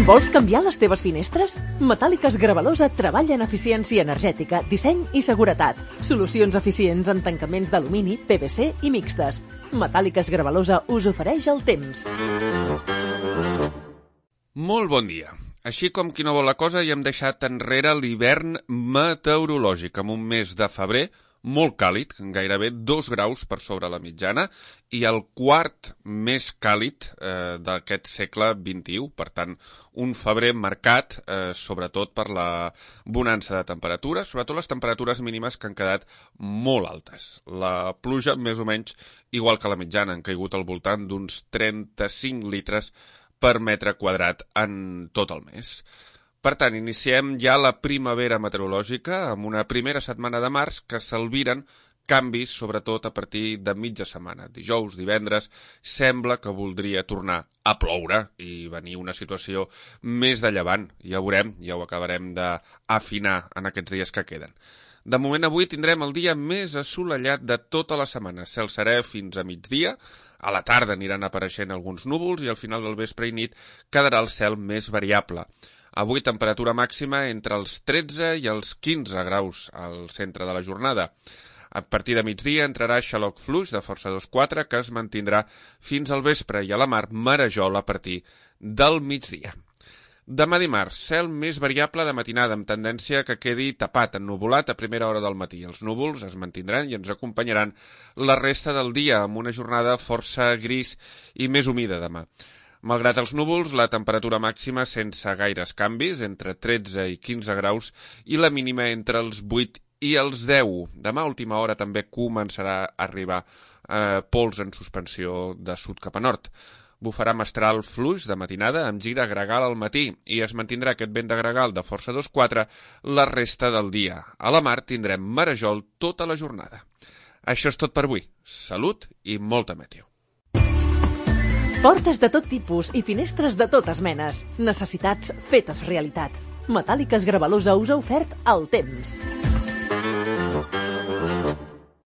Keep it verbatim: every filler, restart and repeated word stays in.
Vols canviar les teves finestres? Metàl·liques Gravalosa treballa en eficiència energètica, disseny i seguretat. Solucions eficients en tancaments d'alumini, P V C i mixtes. Metàl·liques Gravalosa us ofereix el temps. Molt bon dia. Així com qui no vol la cosa, ja hem deixat enrere l'hivern meteorològic amb un mes de febrer molt càlid, gairebé dos graus per sobre la mitjana, i el quart més càlid eh, d'aquest segle vint-i-u. Per tant, un febrer marcat, eh, sobretot per la bonança de temperatures, sobretot les temperatures mínimes que han quedat molt altes. La pluja, més o menys, igual que la mitjana, han caigut al voltant d'uns trenta-cinc litres per metre quadrat en tot el mes. Per tant, iniciem ja la primavera meteorològica amb una primera setmana de març que s'albiren canvis, sobretot a partir de mitja setmana. Dijous, divendres, sembla que voldria tornar a ploure i venir una situació més de llevant. Ja ho veurem, ja ho acabarem d'afinar en aquests dies que queden. De moment, avui tindrem el dia més assolellat de tota la setmana. Cel serè fins a migdia. A la tarda aniran apareixent alguns núvols i al final del vespre i nit quedarà el cel més variable. Avui temperatura màxima entre els tretze i els quinze graus al centre de la jornada. A partir de migdia entrarà xaloc fluix de força dos quatre que es mantindrà fins al vespre i a la mar marejol a partir del migdia. Demà dimarts, cel més variable de matinada amb tendència que quedi tapat, ennuvolat a primera hora del matí. Els núvols es mantindran i ens acompanyaran la resta del dia amb una jornada força gris i més humida demà. Malgrat els núvols, la temperatura màxima sense gaires canvis, entre tretze i quinze graus, i la mínima entre els vuit i els deu. Demà a última hora també començarà a arribar eh, pols en suspensió de sud cap a nord. Bufarà mestral fluix de matinada amb gir a gregal al matí i es mantindrà aquest vent de gregal de força dos quatre la resta del dia. A la mar tindrem marejol tota la jornada. Això és tot per avui. Salut i molta meteo. Portes de tot tipus i finestres de totes menes. Necessitats fetes realitat. Metàl·liques Gravalosa us ha ofert el temps.